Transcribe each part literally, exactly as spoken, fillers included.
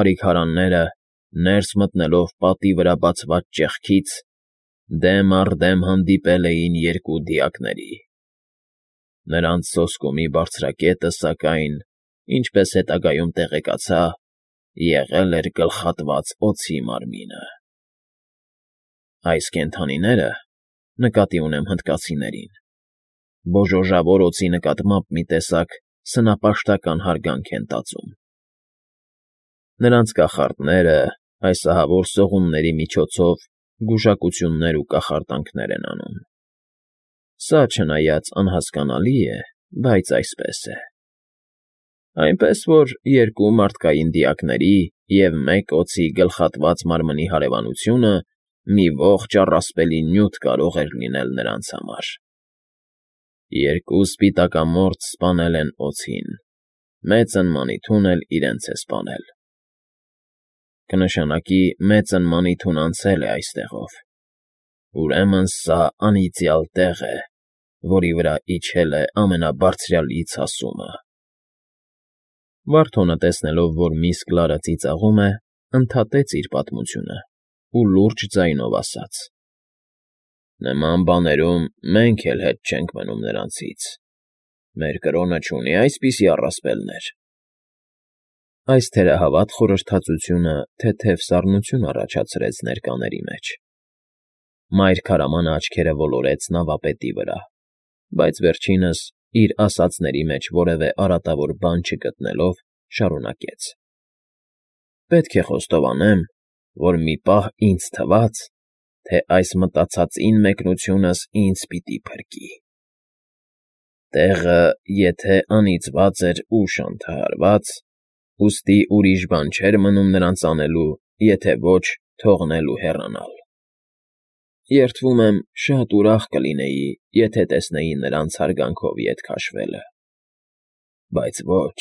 Արիքարանները, ներս մտնելով պատի վրա բացված ճեղքից, դեմ առ դեմ հանդիպել էին երկու դիակների. նրանց սոսկումի բարձրակետը, սակայն, ինչպես հետագայում տեղեկացա, եղել էր գլխատված օձի մարմինը։ Այս կենդանիները, նկատի ունեմ հնդկացիներին, բոժոժավոր օձի նկատմամբ մի տեսակ սնապաշտական հարգանք են տածում. նրանց կախարդները այս ահավոր սողունների միջոցով գուշակություններ ու կախարդանքներ են անում։ Սա, չնայած անհասկանալի է, բայց այսպես է։ Այնպես որ երկու մարդկային դիակների և մեկ օձի գլխատված մարմնի հարևանությունը մի ողջ առասպելի նյութ կարող էր լինել նրանց համար։ Երկու սպիտակամորճ սպանել են օձին, մեծն Մանիթուն էլ իրենց է սպանել։ Կնշանակի մեծն Մանիթուն անցել է այստեղով, ուրեմն սա անիծյալ տեղ է, որի վրա իջել է ամենաբարձրյալի ցասումը։ Վարդոնը, տեսնելով, որ միս Կլարը ծիծաղում է, ընդհատեց իր պատմությունը ու լուրջ ձայնով ասաց. «Նման բաներում մենք էլ հետ չենք մնում նրանցից. մեր կրոնը չունի այսպիսի առասպելներ»։ Այս թերահավատ խորհրդածությունը թեթև սառնություն առաջացրեց ներկաների մեջ։ Մայր քարամանը աչքերը ոլորեց նավապետի վրա, բայց վերջինս, իր ասածների մեջ որևէ արատավոր բան չգտնելով, շարունակեց. «Պետք է խոստովանեմ, որ մի պահ ինձ թվաց, թե այս մտածածին մեկնությունս ինձ պիտի փրկի։ Տեղը եթե անիծված էր ու շանթահարված, ուստի ուրիշ բան չէր մնում նրանց անելու, եթե ոչ թողնել ու հեռանալ։ Երդվում եմ, շատ ուրախ կլինեի, եթե տեսնեի նրանց հարգանքով ետ քաշվելը։ Բայց ոչ,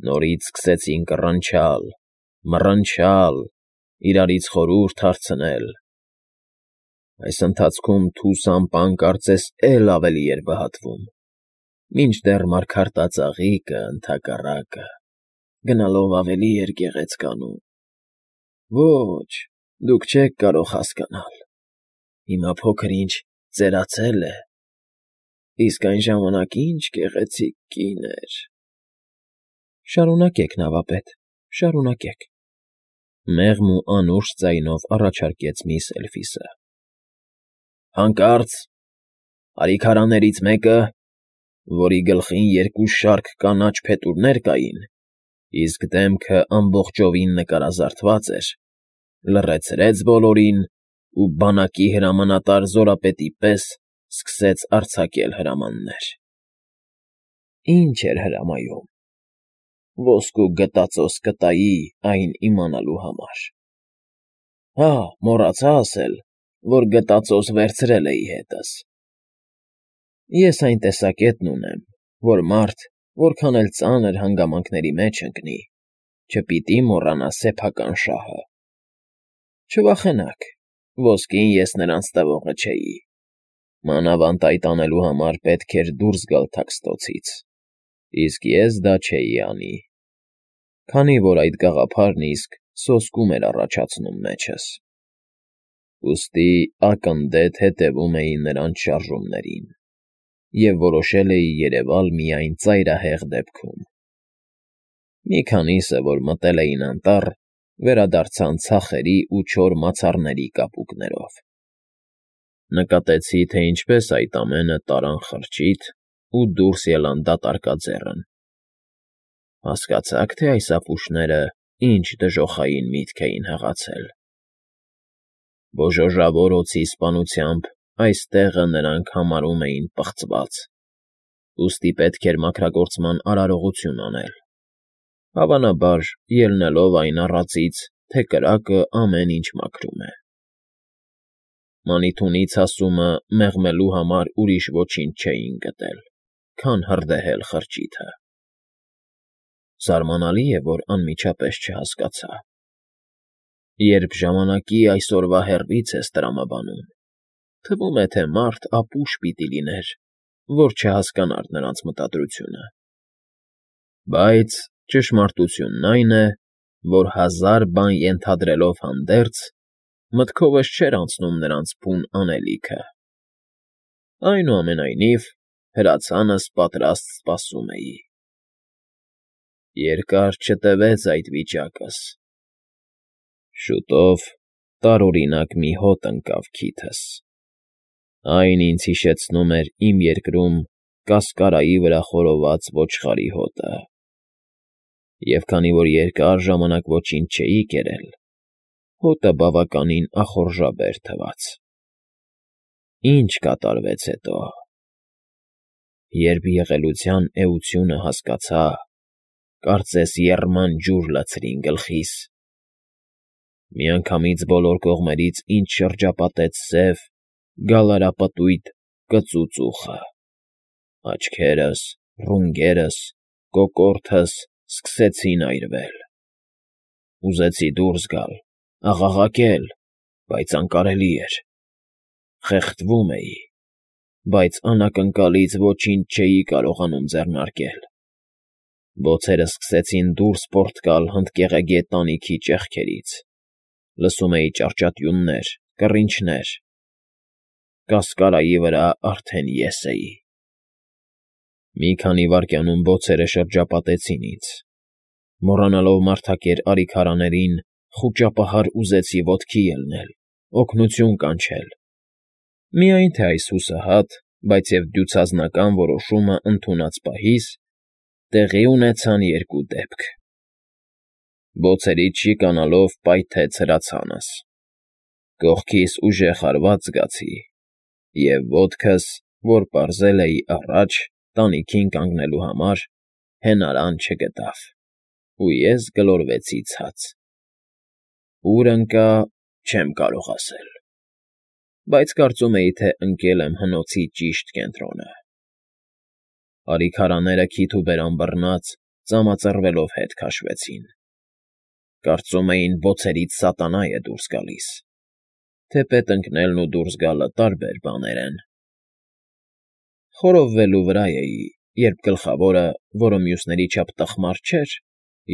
նորից սկսեցին կռնչալ, մռնչալ, իրարից խորհուրդ հարցնել։ Այս ընթացքում թուս ամպան կարծես էլ ավելի էր վհատվում, մինչդեռ մարգարտածաղիկը, ընդհակառակը, գնալով ավելի էր գեղեցկանում։ Ոչ, դուք չեք կարող հասկանալ, հիմա փոքր֊ինչ ծերացել է, իսկ այն ժամանակ ինչ գեղեցիկ կին էր»։ «Շարունակեք, նավապետ, շարունակեք», մեղմ ու անուշ ձայնով առաջարկեց միս Էլֆիսը։ «Հանկարծ արիքարաններից մեկը, որի գլխին երկու շարք կանաչ փետուրներ կային, իսկ դեմքը ամբողջովին նկարազարդված էր, լռեցրեց բոլորին ու բանակի հրամանատար զորապետի պես սկսեց արձակել հրամաններ։ Ինչ էր հրամայում։ Ոսկու գտածոց կտայի այն իմանալու համար։ Հա, մոռացա ասել, որ գտածոց վերցրել էի հետս։ Ես այն տեսակետն ունեմ, որ մարդ, որքան էլ ծանր հանգամանքների մեջ ընկնի, չպիտի մոռանա սեփական շահը։ Չվախենաք, ոսկին ես նրանց տվողը չէի, մանավանդ այդ անելու համար պետք էր դուրս գալ Թաքստոցից, իսկ ես դա չէի անի, քանի որ այդ գաղափարն իսկ սոսկում էր առաջացնում մեջս։ Ուստի ակննդետ հետևում էի նրանց շարժումներին և որոշել էի երևալ միայն ծայրահեղ դեպքում։ Մի քանիսը, որ մտել էին անտառ, վերադարձան ցախերի ու չոր մացառների կապուկներով։ Նկատեցի, թե ինչպես այդ ամենը տարան խրճիթ ու դուրս ելան դատարկաձեռն։ Հասկացա՞ք, թե այս ապուշները ինչ դժոխային միտք էին հղացել։ Բոժոժավոր օձի սպանությամբ այս տեղը նրանք համարում էին պղծված, ուստի պետք էր մաքրագործման արարողություն անել, հավանաբար ելնելով այն առածից, թե կրակը ամեն ինչ մաքրում է։ Մանիթունի ցասումը մեղմելու համար ուրիշ ոչինչ չէին գտել, քան հրդեհել խրճիթը։ Զարմանալի է, որ անմիջապես չհասկացա։ Երբ ժամանակի այսօրվա հեռվից ես տրամաբանում, թվում է, թե մարդ ապուշ պիտի լիներ, որ չհասկանար նրանց մտադրությունը։ Բայց ճշմարտությունն այն է, որ հազար բան ենթադրելով հանդերձ, մտքովս չէր անցնում նրանց բուն անելիքը. այնուամենայնիվ հրացանս պատրաստ սպասում էի։ Երկար չտևեց այդ վիճակս. շուտով տարօրինակ մի հոտ ընկավ քիթս. այն ինձ հիշեցնում էր իմ երկրում կասկարայի վրա խորոված ոչխարի հոտը, և քանի որ երկար ժամանակ ոչինչ չէի կերել, հոտը բավականին ախորժաբեր թվաց։ Ինչ կատարվեց հետո… Երբ եղելության էությունը հասկացա, կարծես եռման ջուր լցրին գլխիս։ Միանգամից բոլոր կողմերից ինձ շրջապատեց սև, գալարապտույտ կծուծուխը, աչքերս, ռունգերս, կոկորդս սկսեցին այրվել։ Ուզեցի դուրս գալ, աղաղակել, բայց անկարելի էր։ Խեղդվում էի, բայց անակնկալից ոչինչ չէի կարողանում ձեռնարկել։ Բոցերս սկսեցին դուրս պոռթկալ հնդկեղեգ տանիքի ճեղքերից, լսում էի ճառճատյուններ, կռինչներ… Կասկարայի վրա արդեն ես էի։ Մի քանի վայրկյանում բոցերը շրջապատեցին ինձ։ Մոռանալով մարդակեր արիքարաներին, խուճապահար ուզեցի ոտքի ելնել, օգնություն կանչել… Միայն թե այս հուսահատ, բայց և դյուցազնական որոշումը ընդունած պահից տեղի ունեցան երկու դեպք. բոցերից շիկանալով պայթեց հրացանս, կողքիս ուժեղ հարված զգացի, և ոտքս, որ պարզել էի առաջ, տանիքին կանգնելու համար, հենարան չգտավ, ու ես գլորվեցի ցած… Ուր ընկա՝ չեմ կարող ասել, բայց կարծում էի, թե ընկել եմ հնոցի ճիշտ կենտրոնը։ Արիքարաները քիթ ու բերան բռնած, ծամածռվելով հետ քաշվեցին… Կարծում էին բոցերից սատանա է դուրս գալիս… Թեպետ ընկնելն ու դուրս գալը տարբեր բաներ են… Խորովվելու վրա էի, երբ գլխավորը, որը մյուսների չափ տխմար չէր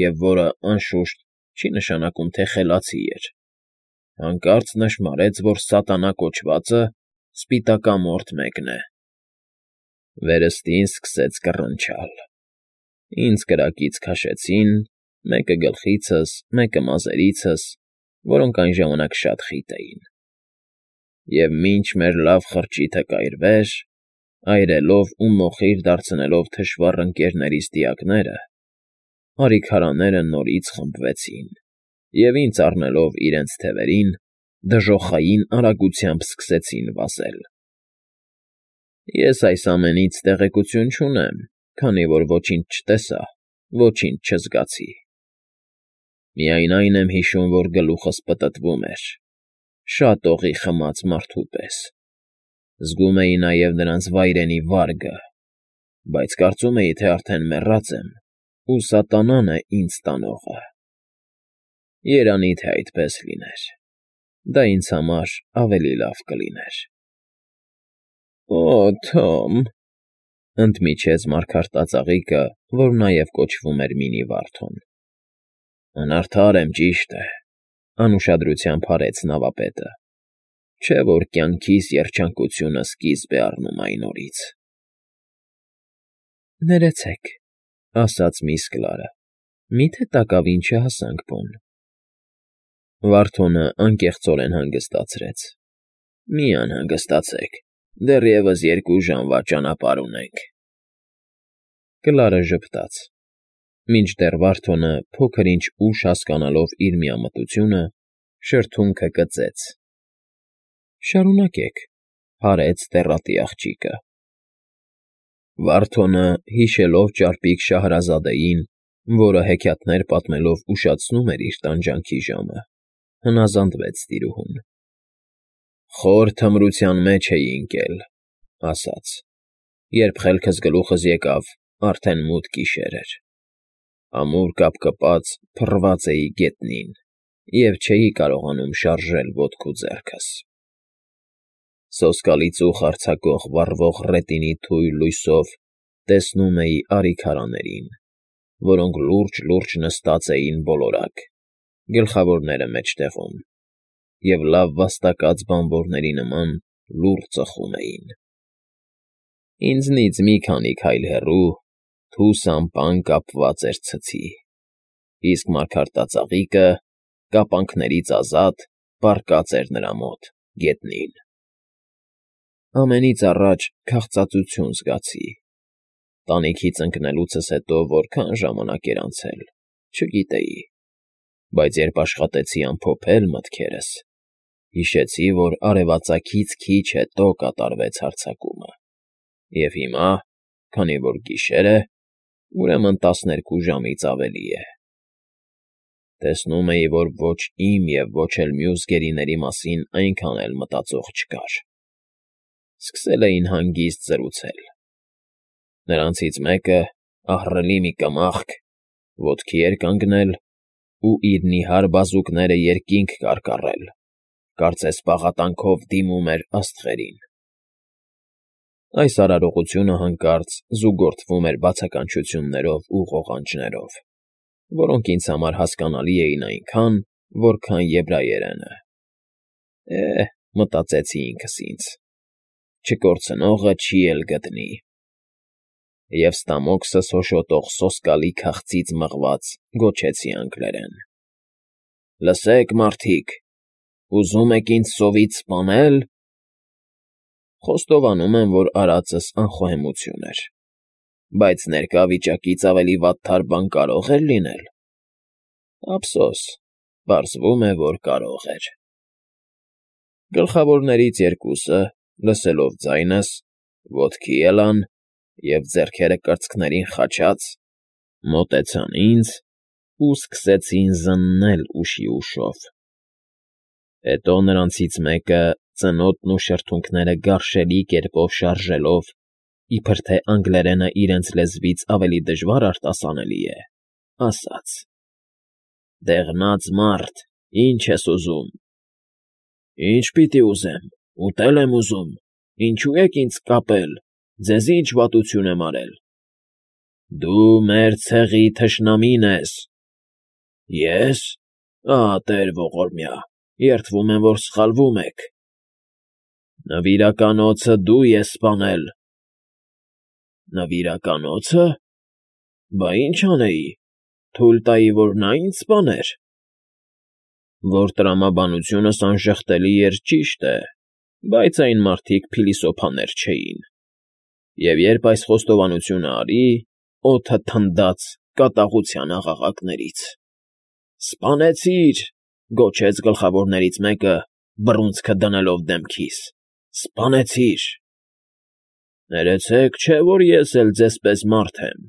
և որը, անշուշտ, չի նշանակում, թե խելացի էր, հանկարծ նշմարեց, որ սատանա կոչվածը սպիտակամորթ մեկն է… Վերստին սկսեց կռնչալ… Ինձ կրակից քաշեցին, մեկը գլխիցս, մեկը մազերիցս, որոնք այն ժամանակ շատ խիտ էին… Եվ մինչ մեր լավ խրճիթը կայրվեր, այրելով ու մոխիր դարձնելով թշվառ ընկներիս դիակները, արիքարանները նորից խմբվեցին և, ինձ առնելով իրենց թևերին, դժոխային արագությամբ սկսեցին վազել… Ես այս ամենից տեղեկություն չունեմ, քանի որ ոչինչ չտեսա, ոչինչ չզգացի… Միայն այն եմ հիշում, որ գլուխս պտտվում էր, շատ օղի խմած մարդու պես, զգում էի նաև նրանց վայրենի վարգը, բայց կարծում էի, թե արդեն մեռած եմ, ու սատանան է ինձ տանողը… Երանի թե այդպես լիներ, դա ինձ համար ավելի լավ կլիներ… ֊ Օ, Թոմ,֊ ընդմիջեց մարգարտածաղիկը, որ նաև կոչվում էր Մինի Վարդոն։ ֊ Անարդար եմ, ճիշտ է,֊ անուշադրությամբ հարեց նավապետը,֊ չէ՞ որ կյանքիս երջանկությունը սկիզբ է առնում այն օրից… ֊ Ներեցեք,֊ ասաց միս Կլարը,֊ մի՞թե տակավին չհասանք բուն… Վարդոնը անկեղծորեն հանգստացրեց. ֊ Մի անհանգստացեք, դեռևս երկու ժամվա ճանապարհ ունենք… Կլարը ժպտաց, մինչդեռ Վարդոնը, փոքր֊ինչ ուշ հասկանալով իր միամտությունը, շրթունքը կծեց։ ֊ Շարունակեք,֊ հարեց տեռատի աղջիկը։ Վարդոնը, հիշելով ճարպիկ Շահրազադեին, որը հեքիաթներ պատմելով ուշացնում էր իր տանջանքի ժամը, հնազանդվեց տիրուհուն։ ֊ Խոր թմրության մեջ էի ընկել,֊ ասաց,֊ երբ խելքս գլուխս եկավ, արդեն մութ գիշեր էր… Ամուր կապկպած փռված էի գետնին և չէի կարողանում շարժել ոտք ու ձեռքս… Սոսկալի ծուխ արձակող վառվող ռետինի թույլ լույսով տեսնում էի արիքարաներին, որոնք լուրջ֊լուրջ նստած էին բոլորակ, գլխավորները մեջտեղում, և լավ վաստակած բանվորների նման լուռ ծխում էին։ Ինձնից մի քանի քայլ հեռու թուս ամպան կապված էր ցցի, իսկ մարգարտածաղիկը, կապանքներից ազատ, պառկած էր նրա մոտ, գետնին։ Ամենից առաջ քաղցածություն զգացի։ Տանիքից ընկնելուցս հետո որքան ժամանակ էր անցել, չգիտեի, բայց երբ աշխատեցի ամփոփել մտքերս, հիշեցի, որ արևածագից քիչ հետո կատարվեց հարձակումը, և հիմա, քանի որ գիշեր է, ուրեմն տասներկու ժամից ավելի է։ Տեսնում էի, որ ոչ իմ և ոչ էլ մյուս գերիների մասին այնքան էլ մտածող չկար։ Սկսել էին հանգիստ զրուցել։ Նրանցից մեկը, ահռելի մի կմախք, ոտքի էր կանգնել ու իր նիհար բազուկները երկինք կարկառել, կարծես պաղատանքով դիմում էր աստղերին։ Այս արարողությունը հանկարծ զուգորդվում էր բացականչություններով ու ղողանջներով, որոնք ինձ համար հասկանալի էին այնքան, որքան եբրայերենը։ Է՜, մտածեցի ինքս ինձ, չկորցնողը չի էլ գտնի։ Եվ ստամոքսս հոշոտող սոսկալի քաղցից մղված գոչեցի անգլերեն. «Լսեք, մարդիկ, ուզում եք ինձ սովից սպանե՞լ»։ Խոստովանում եմ, որ արածս անխոհեմություն էր, բայց ներկա վիճակից ավելի վատթար բան կարո՞ղ էր լինել։ Ափսոս, պարզվում է, որ կարող էր։ Գլխավորներից երկուսը, լսելով ձայնս, ոտքի ելան և, ձեռքերը կրծքներին խաչած, մոտեցան ինձ ու սկսեցին զննել ուշի ուշով։ Հետո նրանցից մեկը, ծնոտն ու շրթունքները գարշելի կերպով շարժելով, իբր թե անգլերենը իրենց լեզվից ավելի դժվար արտասանելի է, ասաց. «Դեղնած մարդ, ի՞նչ ես ուզում»։ «Ի՞նչ պիտի ուզեմ, ուտել եմ ուզում, ինչո՞ւ եք ինձ կապել, ձեզ ի՞նչ վատություն եմ արել»։ «Դու մեր ցեղի թշնամին ես»։ «Ե՞ս, ահա տեր ողորմյա, երդվում եմ, որ սխալվում եք»։ «Նվիրականոցը դու ես սպանել»։ «Նվիրականո՞ցը, բա ի՞նչ անեի, թույլ տայի, որ նա ինձ սպանե՞ր»։ Որ տրամաբանությունս անժխտելի էր, ճիշտ է, բայց այն մարդիկ փիլիսոփաներ չէին, և երբ այս խոստովանությունը արի, օդը թնդաց կատաղության աղաղակներից։ «Սպանեցի՛ր», գոչեց գլխավորներից մեկը, բռունցքը դնելով դեմքիս, «սպանեցի՛ր»։ Ներեցեք, չէ՞ որ ես էլ ձեզ պես մարդ եմ։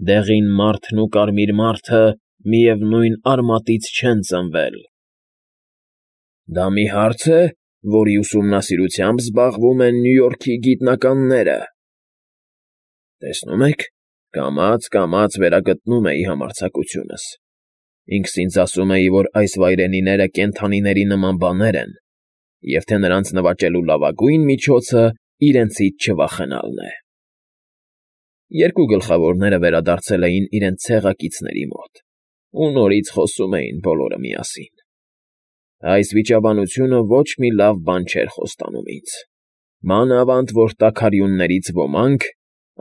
Դեղին մարդն ու կարմիր մարդը միևնույն արմատից չեն ծնվել։ Դա մի հարց է, որի ուսումնասիրությամբ զբաղվում են Նյու Յորքի գիտնականները։ Տեսնում եք, կամաց֊կամաց վերագտնում էի համարձակությունս։ Ինքս ինձ ասում էի, որ այս վայրենիները կենդանիների նման բաներ են, և թե նրանց նվաճելու լավագույն միջոցը իրենցից չվախենալն է։ Երկու գլխավորները վերադարձել էին իրենց ցեղակիցների մոտ ու նորից խոսում էին բոլորը միասին։ Այս վիճաբանությունը ոչ մի լավ բան չէր խոստանում ինձ, մանավանդ որ տաքարյուններից ոմանք,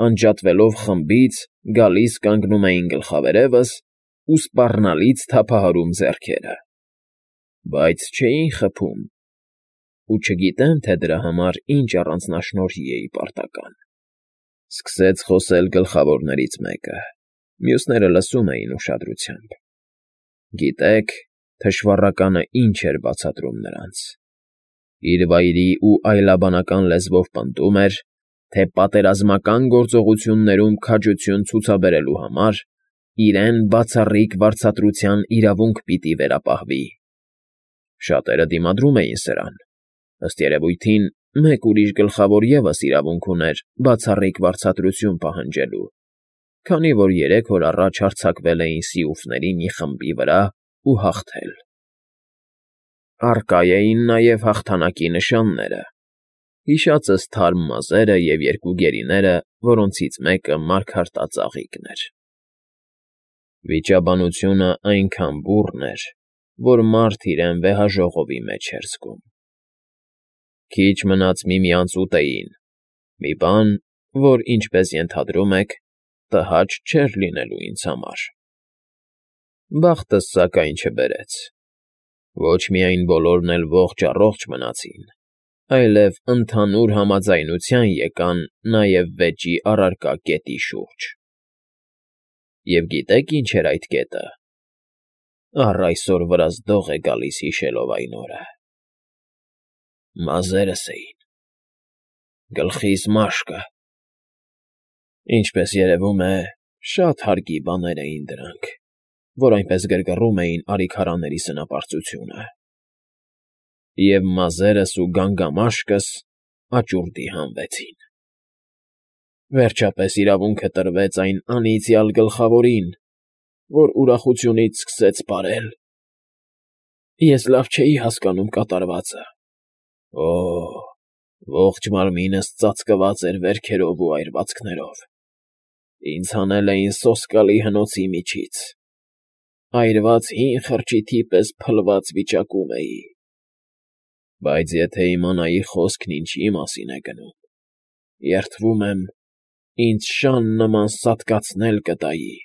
անջատվելով խմբից, գալիս կանգնում էին գլխավերևս ու սպառնալից թափահարում ձեռքերը, բայց չէին խփում, ու չգիտեմ, թե դրա համար ինչ առանձնաշնորհի էի պարտական։ Սկսեց խոսել գլխավորներից մեկը, մյուսները լսում էին ուշադրությամբ։ Գիտեք, թշվառականը ինչ էր բացատրում նրանց։ Իր վայրի ու այլաբանական լեզվով պնդում էր, թե պատերազմական գործողություններում քաջություն ցուցաբերելու համար իրեն բացառիկ վարձատրության իրավունք պիտի վերապահվի։ Շատերը դիմադրում էին սրան, ըստ երևույթին, մեկ ուրիշ գլխավոր ևս իրավունք ուներ բացառիկ վարձատրություն պահանջելու, քանի որ երեք օր առաջ հարձակվել էին սիուֆների մի խմբի վրա ու հաղթել։ Առկա էին նաև հաղթանակի նշանները, հիշածս թարմ մազերը և երկու գերիները, որոնցից մեկը մարգարտածաղիկն էր։ Վիճաբանությունը այնքան բուռն էր, որ մարդ իրեն վեհաժողովի մեջ էր զգում։ Քիչ մնաց միմյանց ուտեին, մի բան, որ, ինչպես ենթադրում եք, տհաճ չէր լինելու ինձ համար։ Բախտս, սակայն, չբերեց։ Ոչ միայն բոլորն էլ ողջ֊առողջ մնացին, այլև ընդհանուր համաձայնության եկան նաև վեճի առարկա կետի շուրջ։ Եվ գիտե՞ք ինչ էր այդ կետը։ Առ այսօր վրաս դող է գալիս հիշելով այն օրը։ Մազերս էին, գլխիս մաշկը։ Ինչպես երևում է, շատ հարկի բաներ էին դրանք, որ այնպես գրգռում էին արիքարանների սնապարծությունը։ Եվ մազերս ու գանգամաշկս աճուրդի հանվեցին։ Վերջապես իրավունքը տրվեց այն անիծյալ գլխավորին, որ ուրախությունից սկսեց պարել։ Ես լավ չէի հասկանում կատարվածը։ Օ՜, ողջ մարմինս ծածկված էր վերքերով ու այրվածքներով։ Ինձ հանել էին սոսկալի հնոցի միջից։ Այրված հին խրճիթի պես փլված վիճակում էի։ Բայց եթե իմանայի խոսքն ինչի մասին է գնում, երդվում եմ, ինձ շան նման սատկացնել կտայի։